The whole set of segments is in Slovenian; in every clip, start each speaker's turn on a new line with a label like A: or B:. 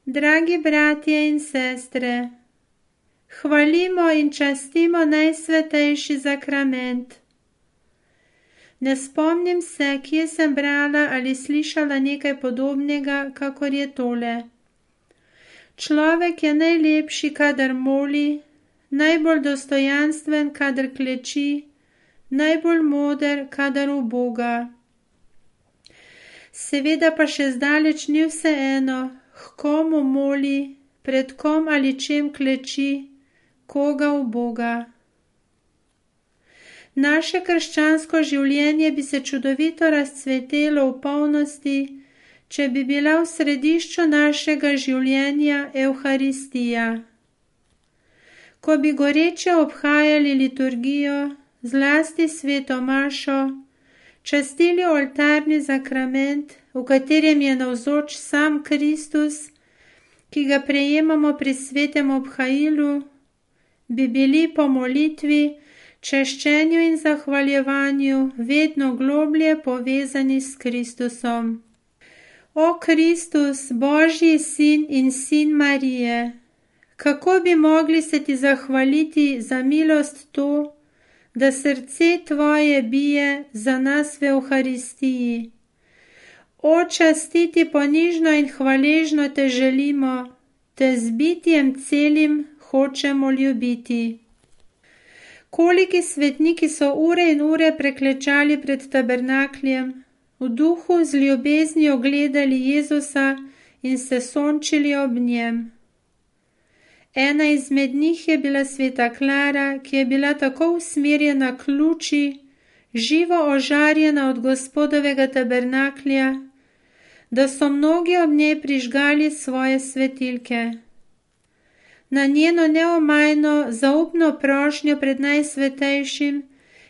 A: Dragi bratje in sestre, hvalimo in častimo najsvetejši zakrament. Ne spomnim se, kje sem brala ali slišala nekaj podobnega, kakor je tole. Človek je najlepši, kadar moli, najbolj dostojanstven, kadar kleči, najbolj moder, kadar uboga. Seveda pa še zdaleč ni vseeno, h komu moli, pred kom ali čem kleči, koga uboga. Naše krščansko življenje bi se čudovito razcvetelo v polnosti, če bi bila v središču našega življenja Evharistija. Ko bi goreče obhajali liturgijo, zlasti sveto mašo, častili oltarni zakrament, v katerem je navzoč sam Kristus, ki ga prejemamo pri svetem obhajilu, bi bili po molitvi, češčenju in zahvaljevanju vedno globlje povezani s Kristusom. O Kristus, Božji sin in sin Marije, kako bi mogli se ti zahvaliti za milost to, da srce tvoje bije za nas v Evharistiji. O, častiti ponižno in hvaležno te želimo, te z bitjem celim hočemo ljubiti. Koliki svetniki so ure in ure preklečali pred tabernakljem, v duhu z ljubeznijo gledali Jezusa in se sončili ob njem. Ena izmed njih je bila sveta Klara, ki je bila tako usmerjena k luči, živo ožarjena od Gospodovega tabernaklja, da so mnogi ob njej prižgali svoje svetilke. Na njeno neomajno, zaupno prošnjo pred najsvetejšim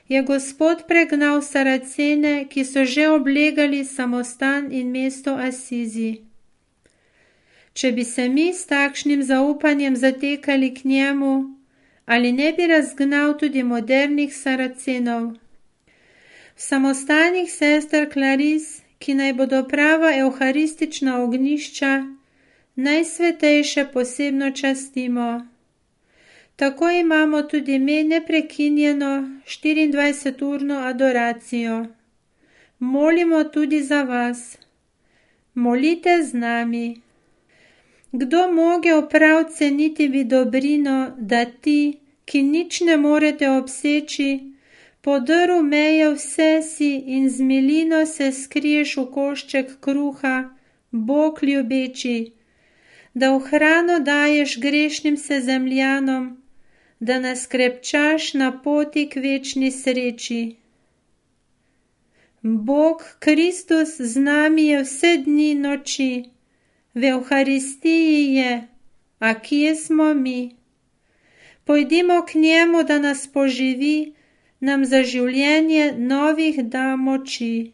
A: je Gospod pregnal Saracene, ki so že oblegali samostan in mesto Asizi. Če bi se mi s takšnim zaupanjem zatekali k njemu, ali ne bi razgnal tudi modernih Saracenov? V samostanih sester Klaris, ki naj bodo prava evharistična ognjišča, najsvetejše posebno častimo. Tako imamo tudi mi neprekinjeno 24-urno adoracijo. Molimo tudi za vas. Molite z nami. Kdo mogel prav ceniti bi dobrino, da ti, ki nič ne morete obseči, podrl meje vse si in z milino se skriješ v košček kruha, Bog ljubeči, da v hrano daješ grešnim sezemljanom, da nas krepčaš na poti k večni sreči. Bog Kristus z nami je vse dni noči, v Evharistiji je, a kje smo mi? Pojdimo k njemu, da nas poživi, nam za življenje novih da moči.